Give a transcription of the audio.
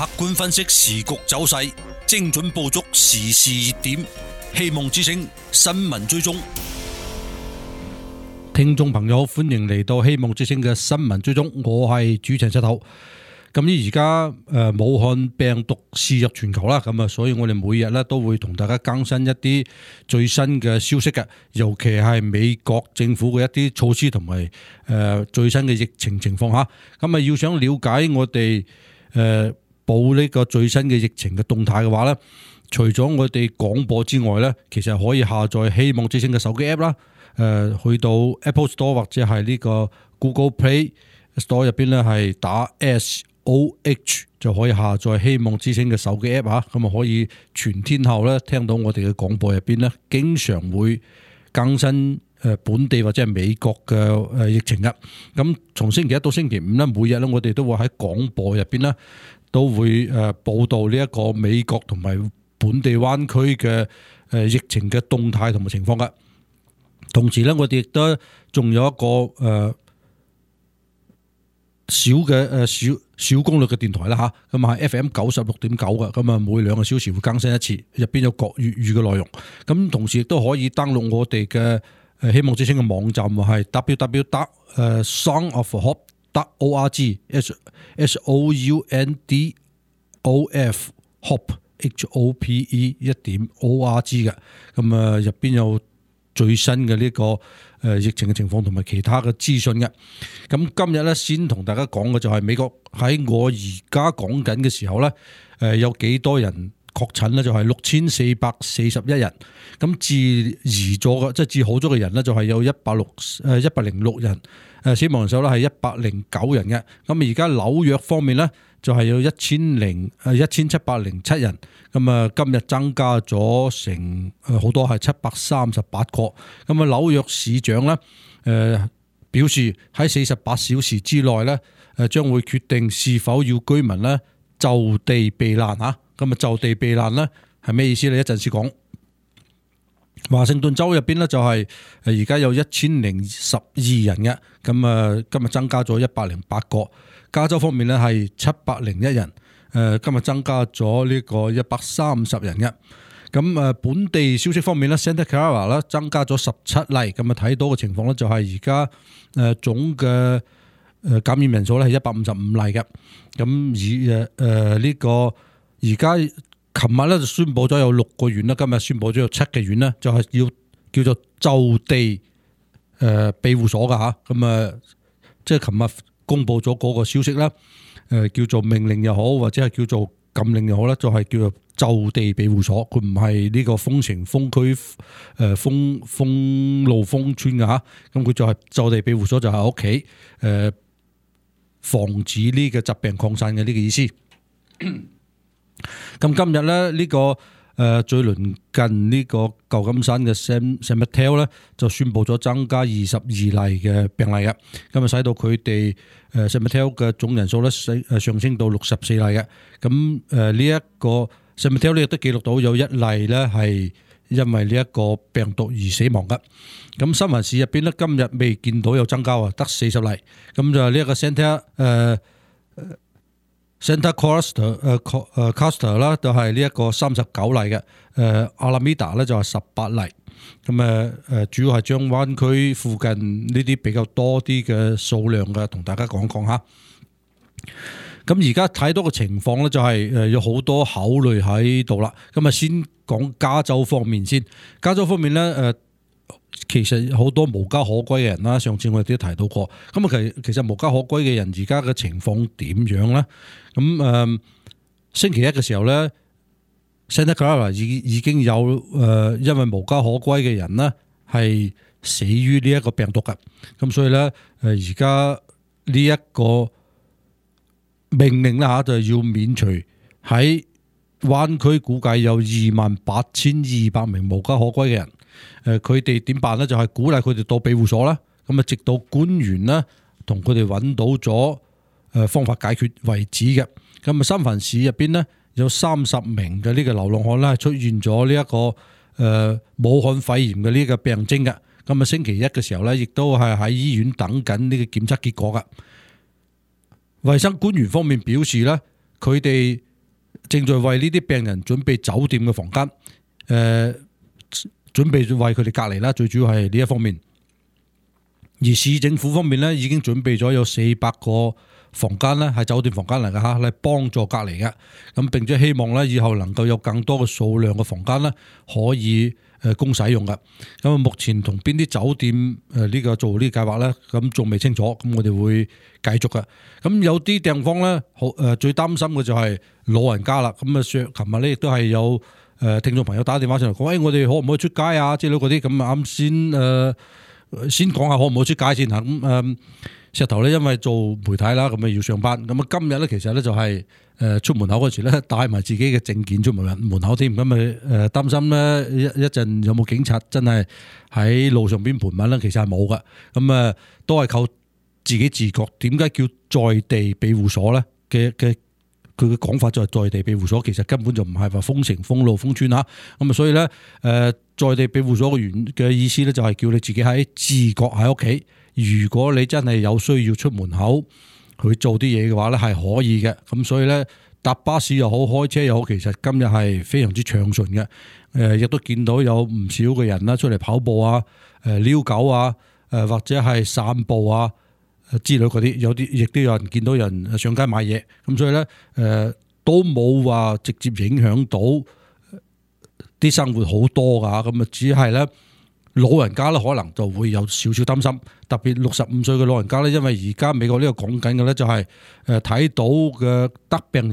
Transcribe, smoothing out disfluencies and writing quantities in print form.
客觀分析時局走勢，精準捕捉時事熱點。希望之聲新聞追蹤，聽眾朋友歡迎嚟到希望之聲嘅新聞追蹤，我係主持人石頭。咁而家武漢病毒肆虐全球啦，咁所以我哋每日咧都會同大家更新一啲最新嘅消息嘅，尤其係美國政府嘅一啲措施同埋最新嘅疫情情況下。咁要想了解我哋報呢個最新嘅疫情嘅動態嘅話咧，除咗我哋廣播之外咧，其實可以下載希望之聲嘅手機 app 啦，去到 Apple Store 或者係呢個 Google Play Store 入邊咧係打 SOH 就可以下載希望之聲嘅手機 app 嚇，咁啊可以全天候咧聽到我哋嘅廣播入邊咧，經常會更新本地或者係美國嘅疫情嘅。咁從星期一到星期五咧，每日咧我哋都會喺廣播入邊咧都會報導呢一個美國同埋本地灣區嘅疫情嘅動態同埋情況嘅。同時咧，我哋亦都仲有一個小功率嘅電台啦嚇，咁係 FM 96.9嘅，咁啊每2個小時會更新一次，入邊有國粵語嘅內容。咁同時亦都可以登錄我哋嘅希望之聲嘅網站，係 www.soundofhope.org soundofhope.org 嘅。咁啊入邊有最新嘅呢個疫情嘅情況同埋其他嘅資訊嘅。咁今日咧先同大家講嘅就係美國喺我而家講緊嘅時候咧，有幾多人確診咧？就係6441人。咁治癒咗嘅，即係治好咗嘅人咧，就係有106人。死亡人數咧係109人嘅。咁而家紐約方面咧就係有1707人。咁啊今日增加咗成好多係738個。咁啊紐約市長咧表示喺48小時之內咧將會決定是否要居民咧就地避難嚇。咁啊就地避難咧係咩意思咧？一陣先講。華盛頓州入邊咧就係而家有1012人嘅。咁啊今日增加咗108個。加州方面咧係701人。今日增加咗呢個130人嘅。咁本地消息方面咧 ，Santa Clara 咧增加咗17例。咁啊睇到嘅情況咧就係而家總嘅感染人數咧係155例嘅。咁呢個而家琴日咧就宣布咗有6個縣啦，今日宣布咗有7個縣咧就係要叫做就地庇護所㗎嚇。咁即係琴日公布咗嗰個消息啦。叫做命令又好，或者係叫做禁令又好啦，就係叫做就地庇護所，佢唔係呢個封城、封區、封路、封村嘅嚇。咁佢就係就地庇護所，就喺屋企防止呢個疾病擴散嘅呢個意思。咁今日咧呢個最鄰近呢個舊金山嘅 San Mateo 咧就宣布咗增加22例嘅病例嘅。咁啊使到佢哋San Mateo 嘅總人數咧上升到64例嘅。咁呢一個 San Mateo 咧亦都記錄到有1例咧係因為呢一個病毒而死亡嘅。咁三藩市入邊咧今日未見到有增加啊，得40例。咁就係呢一個Santa Costa 啦，就係呢一個39例嘅。Alameda 咧就係18例。咁主要係將灣區附近呢啲比較多啲嘅數量嘅，同大家講講下。咁而家睇到嘅情況咧，就係有好多考慮喺度啦。咁啊，先講加州方面先。加州方面咧，其實好多無家可歸嘅人啦。上次我哋都提到過。咁啊，其實無家可歸嘅人而家嘅情況點樣咧？咁星期一嘅時候咧，Santa Clara 已經有因為無家可歸嘅人咧係死於呢一個病毒嘅。咁所以咧而家呢一個命令啦嚇，就要免除喺灣區估計有28,200名無家可歸嘅人。佢哋點辦咧？就係鼓勵佢哋到庇護所啦。咁啊，直到官員咧同佢哋揾到咗方法解決為止嘅。咁啊，三藩市入邊咧有30名嘅呢個流浪漢咧出現咗呢一個武漢肺炎嘅呢個病徵嘅。咁啊，星期一嘅時候咧，亦都係喺醫院等緊呢個檢測結果噶。衛生官員方面表示咧，佢哋正在為呢啲病人準備酒店嘅房間，準備為佢哋隔離啦，最主要係呢一方面。而市政府方面咧，已經準備咗有400個房間咧，係酒店房間嚟嘅嚇，嚟幫助隔離嘅。咁並且希望咧，以後能夠有更多嘅數量嘅房間咧，可以供使用嘅。咁目前同邊啲酒店呢個做呢個計劃咧，咁仲未清楚。咁我哋會繼續嘅。咁有啲地方咧，最擔心嘅就係老人家啦。咁啊，琴日咧亦都係有聽眾朋友打電話上嚟講，我哋可唔可以出街啊？之類嗰啲咁啱先講下可唔可以出街先嚇。咁石頭咧，因為做媒體啦，咁啊要上班。咁啊今日咧，其實咧就係出門口嗰時咧，帶埋自己嘅證件出門口添。咁啊擔心咧一陣有冇警察真係喺路上邊盤問咧，其實係冇嘅。咁啊都係靠自己自覺。點解叫在地庇護所咧？佢嘅講法就係在地庇護所，其實根本就唔係話封城、封路、封村嚇。咁啊，所以咧在地庇護所嘅意思咧，就係叫你自己喺自覺喺屋企。如果你真係有需要出門口去做啲嘢嘅話咧，係可以嘅。咁所以咧，搭巴士又好，開車又好，其實今日係非常之暢順嘅。亦都見到有唔少嘅人啦，出嚟跑步啊、遛狗啊、或者係散步啊之類嗰啲，有啲亦都有人見到人上街買嘢。咁所以咧，都冇話直接影響到啲生活好多噶。咁啊，只係咧。老人家咧可能就會有少少擔心，特別65歲嘅老人家咧，因為而家美國呢個講緊嘅咧就係睇到嘅得病人